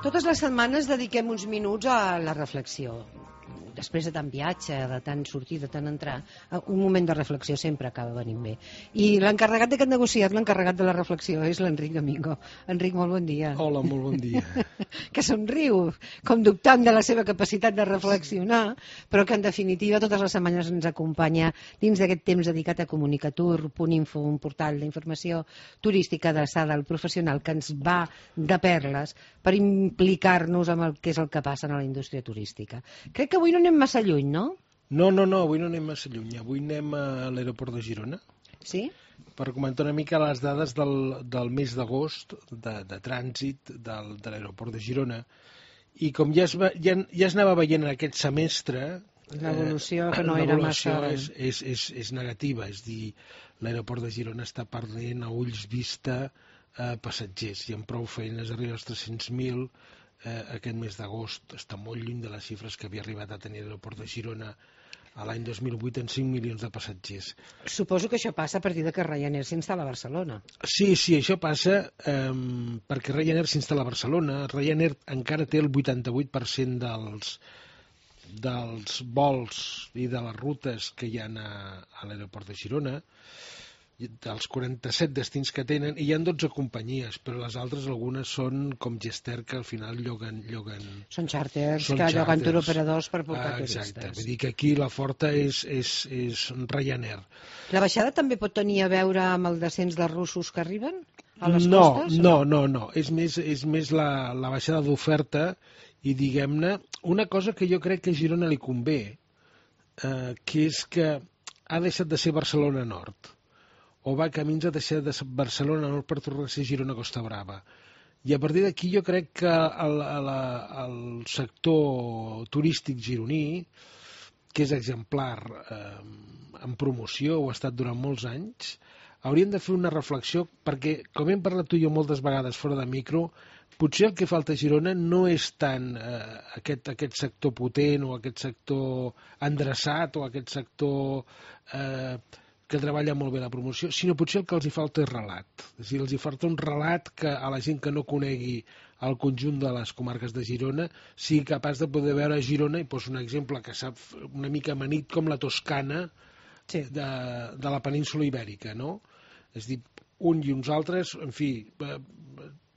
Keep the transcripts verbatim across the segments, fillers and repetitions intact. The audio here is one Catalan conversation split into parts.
Totes les setmanes dediquem uns minuts a la reflexió. Després de tant viatge, de tant sortir, de tant entrar, un moment de reflexió sempre acaba venint bé. I l'encarregat d'aquest negociat, l'encarregat de la reflexió, és l'Enric Domingo. Enric, molt bon dia. Hola, molt bon dia. Que somriu, com dubtant de la seva capacitat de reflexionar, però que en definitiva totes les setmanes ens acompanya dins d'aquest temps dedicat a Comunicatur, Punt Info, un portal d'informació turística adreçada al professional que ens va de perles per implicar-nos amb el que és el que passa a la indústria turística. Crec que avui no anem massa lluny, no? No, no, no, avui no anem massa lluny. Avui anem a l'aeroport de Girona. Sí? Per comentar una mica les dades del, del mes d'agost de, de trànsit del, de l'aeroport de Girona. I com ja es, va, ja, ja es anava veient en aquest semestre... L'evolució eh, que no era massa... és, és, és, és negativa, és dir, l'aeroport de Girona està perdent a ulls vista eh, passatgers i amb prou feines arriba als tres-cents mil. Eh, aquest mes d'agost està molt lluny de les xifres que havia arribat a tenir l'aeroport de Girona a l'any dos mil vuit en cinc milions de passatgers. Suposo que això passa a partir de que Ryanair s'instal·la a Barcelona. Sí, sí, això passa eh, perquè Ryanair s'instal·la a Barcelona. Ryanair encara té el vuitanta-vuit per cent dels, dels vols i de les rutes que hi ha a, a l'aeroport de Girona, dels quaranta-set destins que tenen, i hi ha dotze companyies, però les altres algunes són com Gester, que al final lloguen... lloguen són xàrters, són que xàrters. lloguen turoperadors per portar ah, turistes. Exacte, vull dir que aquí la forta és, és, és Ryanair. La baixada també pot tenir a veure amb el descens dels russos que arriben a les no, costes? No, no, no, és més, és més la, la baixada d'oferta i, diguem-ne, una cosa que jo crec que a Girona li convé, eh, que és que ha deixat de ser Barcelona Nord, o va camins a deixar de Barcelona Nord per tornar a ser Girona Costa Brava. I a partir d'aquí jo crec que el, el, el sector turístic gironí, que és exemplar eh, en promoció, ho ha estat durant molts anys, hauríem de fer una reflexió, perquè, com hem parlat tu i jo moltes vegades fora de micro, potser el que falta a Girona no és tant eh, aquest, aquest sector potent o aquest sector endreçat o aquest sector... Eh, que treballa molt bé la promoció, sinó potser el que els hi falta és relat. És a dir, els hi falta un relat que a la gent que no conegui el conjunt de les comarques de Girona sigui capaç de poder veure Girona, i poso un exemple que sap una mica amanit, com la Toscana sí. de, de la península Ibèrica, no? És a dir, un i uns altres, en fi, eh,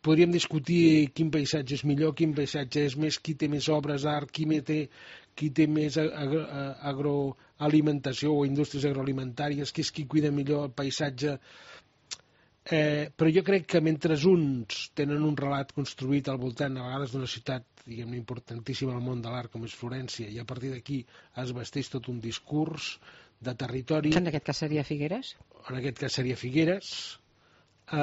podríem discutir quin paisatge és millor, quin paisatge és més, qui té més obres d'art, qui té, qui té més agro, agroalimentació o indústries agroalimentàries, qui és qui cuida millor el paisatge. Eh, però jo crec que mentre uns tenen un relat construït al voltant, a vegades d'una ciutat, diguem-ne, importantíssima al món de l'art, com és Florència, i a partir d'aquí es vesteix tot un discurs de territori... En aquest cas seria Figueres? En aquest cas seria Figueres... Eh,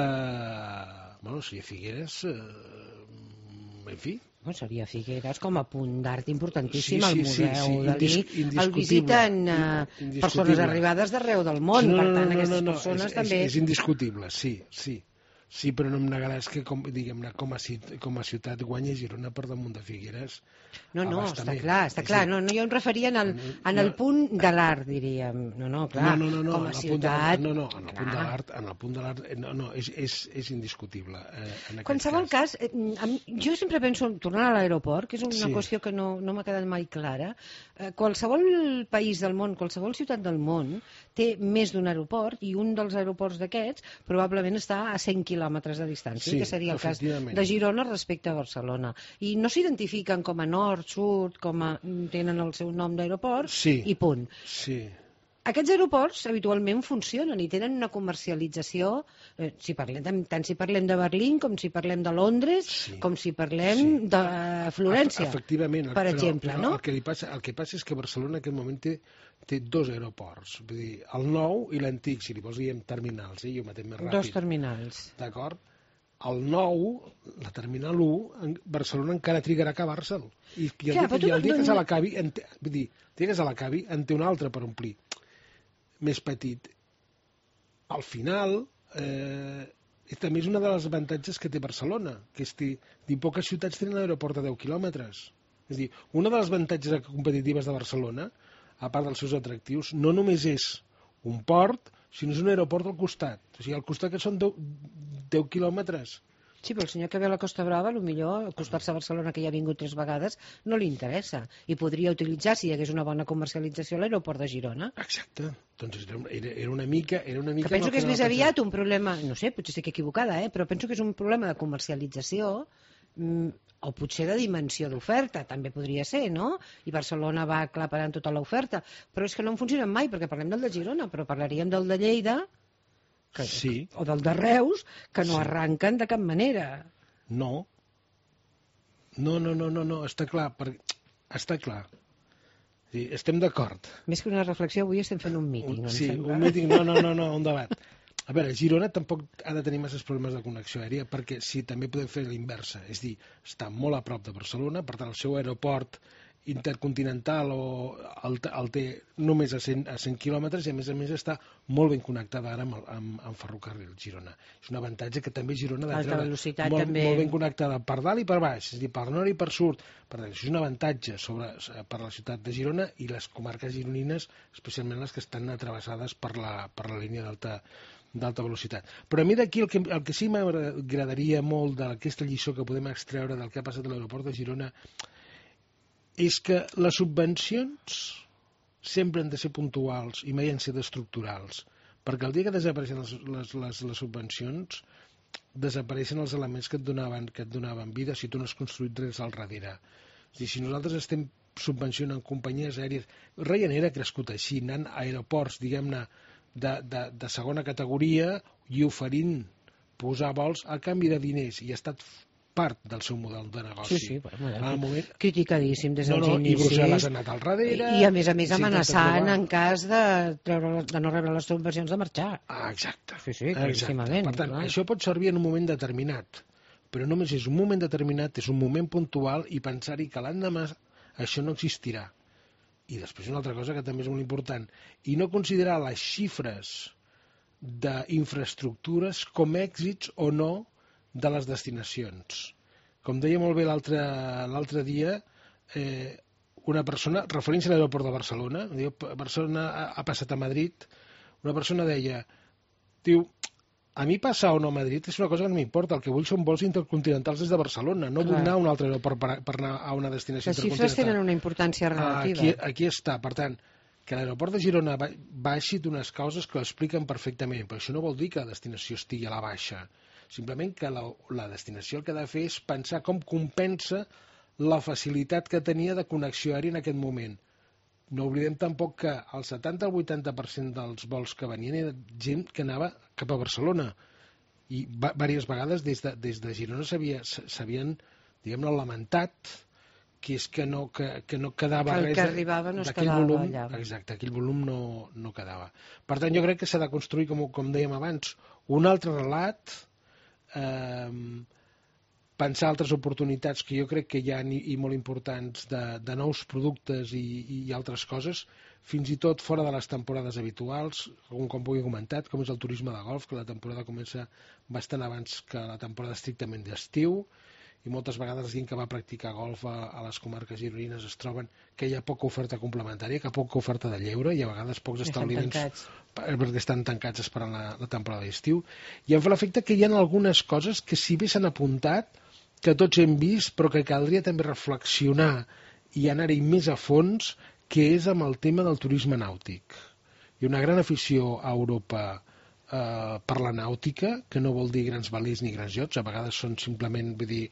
bueno, seria Figueres, eh, en fi. Bueno, seria Figueres com a punt d'art importantíssim, sí, sí, al Museu sí, sí, Dalí. El visiten uh, persones arribades d'arreu del món, no, no, per tant, no, aquestes no, no, persones és, també... És, és indiscutible, sí, sí. Sí, però no em negaràs que, com, diguem-ne, com, com a ciutat guanya Girona per damunt de Figueres. No, no, està clar, està clar. No, no, jo em referia en el, en el punt de l'art, diríem. No, no, clar, no, no, no, com a ciutat... No, no, en el punt de l'art, en el punt de l'art, no, no, és, és, és indiscutible. Eh, en qualsevol cas, cas eh, jo sempre penso, tornant a l'aeroport, que és una sí. qüestió que no, no m'ha quedat mai clara, eh, qualsevol país del món, qualsevol ciutat del món, té més d'un aeroport, i un dels aeroports d'aquests probablement està a cent quilòmetres de distància. Sí, que seria el cas de Girona respecte a Barcelona. I no s'identifiquen com a nord, sud, com a... tenen el seu nom d'aeroport sí, i punt. Sí. Aquests aeroports habitualment funcionen i tenen una comercialització, eh, si parlem, tant si parlem de Berlín com si parlem de Londres, sí, com si parlem sí. de Florència, efectivament, per però, exemple. Però no? el, que li passa, el que passa és que Barcelona en aquest moment té, té dos aeroports, vull dir, el nou i l'antic, si li vols diem terminals, eh? Jo mateix més ràpid. Dos terminals. D'acord? El nou, la terminal u, Barcelona encara trigarà a acabar-se'l. I, i el, Clar, dia, i el dia que se l'acabi, vull dir, el dia que se l'acabi, en té un altre per omplir, més petit. Al final, eh, també és una de les avantatges que té Barcelona, que és que poques ciutats tenen l'aeroport a deu quilòmetres. És a dir, una de les avantatges competitives de Barcelona, a part dels seus atractius, no només és un port, sinó és un aeroport al costat. O sigui, al costat que són deu quilòmetres. Sí, però el senyor que ve a la Costa Brava, potser acostar-se a Barcelona, que ja ha vingut tres vegades, no li interessa. I podria utilitzar, si hi hagués una bona comercialització, l'aeroport de Girona. Exacte. Doncs era, era una mica... Era una mica que penso que és no més pensava. aviat un problema, no sé, potser estic equivocada, eh? però penso que és un problema de comercialització, mm, o potser de dimensió d'oferta, també podria ser, no? I Barcelona va aclaparant tota l'oferta. Però és que no en funcionen mai, perquè parlem del de Girona, però parlaríem del de Lleida, que, sí. o del de Reus, que no sí. arranquen de cap manera. No. No, no, no, no, no. està clar. Per... Està clar. Sí, estem d'acord. Més que una reflexió, avui estem fent un míting, un, em sí, sembla. un míting, no, no, no, no, un debat. A veure, Girona tampoc ha de tenir masses problemes de connexió aèria, perquè sí, també podem fer l'inversa, és dir, està molt a prop de Barcelona, per tant el seu aeroport intercontinental o el, el té només a cent, a cent quilòmetres i a més a més està molt ben connectada ara amb, amb, amb ferrocarril Girona. És un avantatge que també Girona ha de treure, molt, també... molt ben connectada per dalt i per baix, és a dir, per nord i per sud. Per tant, això és un avantatge sobre, per la ciutat de Girona i les comarques gironines, especialment les que estan atravessades per la, per la línia d'alta d'alta velocitat. Però a mi d'aquí el que, el que sí m'agradaria molt d'aquesta lliçó que podem extreure del que ha passat a l'aeroport de Girona és que les subvencions sempre han de ser puntuals i mai han de ser estructurals, perquè el dia que desapareixen les, les, les, les subvencions desapareixen els elements que et donaven, que et donaven vida si tu no has construït res al darrere. És dir, si nosaltres estem subvencionant companyies aèries, Ryanair ha crescut així, anant a aeroports, diguem-ne, de, de, de segona categoria i oferint posar vols a canvi de diners, i ha estat part del seu model de negoci. Sí, sí, bueno, al moment... criticadíssim des dels no, no, inicis. I Brussel·les ha anat al darrere... I, i a més a més amenaçant en cas de, treure, de no rebre les subvencions de marxar. Ah, exacte. Sí, sí, claríssimament. Per tant, clar. això pot servir en un moment determinat, però només és un moment determinat, és un moment puntual i pensar-hi que l'endemà això no existirà. I després una altra cosa que també és molt important, i no considerar les xifres d'infraestructures com èxits o no de les destinacions. Com deia molt bé l'altre dia, eh, una persona, referint-se a l'aeroport de Barcelona, diu, Barcelona ha, ha passat a Madrid, una persona deia, diu, a mi passar o no a Madrid és una cosa que no m'importa, el que vull són vols intercontinentals des de Barcelona, no Clar. vull anar a un altre aeroport per, per anar a una destinació Les intercontinental. xifres tenen una importància relativa. Aquí, aquí està, per tant, que l'aeroport de Girona baixi d'unes causes que ho expliquen perfectament, però això no vol dir que la destinació estigui a la baixa, simplement que la, la destinació el que ha de fer és pensar com compensa la facilitat que tenia de connexió aèria en aquest moment. No oblidem tampoc que el setanta al vuitanta per cent dels vols que venien era gent que anava cap a Barcelona i diverses vegades des de, des de Girona s'havien, diguem-ne, lamentat que és que no, que, que no quedava que el res que arribava no es quedava volum, allà. Exacte, aquell volum no, no quedava. Per tant, jo crec que s'ha de construir, com, com dèiem abans, un altre relat, eh, pensar altres oportunitats que jo crec que hi ha i, i molt importants de, de nous productes i, i altres coses, fins i tot fora de les temporades habituals, com, com ho he comentat, com és el turisme de golf, que la temporada comença bastant abans que la temporada estrictament d'estiu, i moltes vegades la gent que va practicar golf a, a les comarques gironines es troben que hi ha poca oferta complementària, que poca oferta de lleure, i a vegades pocs establiments perquè estan tancats esperant la, la temporada d'estiu, i em fa l'efecte que hi ha algunes coses que si bé s'han apuntat, que tots hem vist, però que caldria també reflexionar i anar-hi més a fons, que és amb el tema del turisme nàutic. Hi ha una gran afició a Europa eh, per la nàutica, que no vol dir grans velers ni grans iots, a vegades són simplement, vull dir,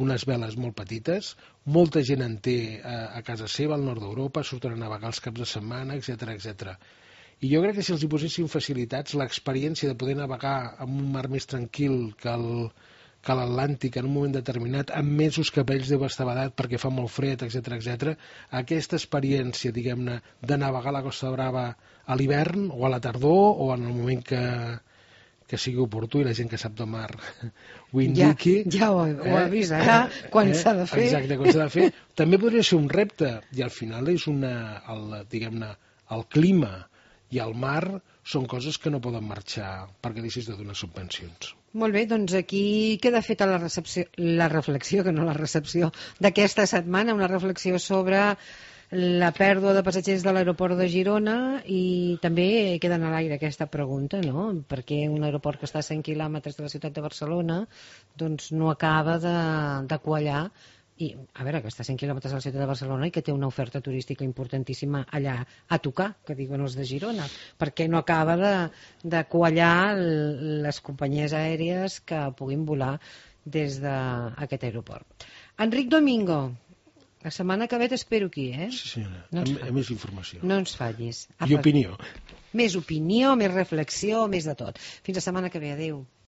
unes veles molt petites, molta gent en té a, a casa seva, al nord d'Europa, surten a navegar els caps de setmana, etcètera, etcètera. I jo crec que si els hi posessin facilitats, l'experiència de poder navegar en un mar més tranquil que el que l'Atlàntic en un moment determinat, amb mesos que per ells deu estar badat perquè fa molt fred, etcètera, etcètera, aquesta experiència, diguem-ne, de navegar a la Costa Brava a l'hivern o a la tardor o en el moment que, que sigui oportú i la gent que sap de mar ho indiqui. Ja, ja ho, ho eh? avisarà quan eh? s'ha de fer. Exacte, quan s'ha de fer. També podria ser un repte i al final és una, el, diguem-ne, el clima i el mar són coses que no poden marxar perquè deixis de donar subvencions. Molt bé, doncs aquí queda feta la, recepció, la reflexió, que no la recepció, d'aquesta setmana, una reflexió sobre la pèrdua de passatgers de l'aeroport de Girona, i també queda en l'aire aquesta pregunta, no? Perquè un aeroport que està a cent quilòmetres de la ciutat de Barcelona doncs no acaba de, de quallar, i a veure, que està a cent quilòmetres de la ciutat de Barcelona i que té una oferta turística importantíssima allà a tocar, que diuen els de Girona, perquè no acaba de, de quallar les companyies aèries que puguin volar des d'aquest aeroport. Enric Domingo, la setmana que ve t'espero aquí, eh? Sí, senyora, no amb, amb més informació. No ens fallis. I opinió. Més opinió, més reflexió, més de tot. Fins la setmana que ve, adeu.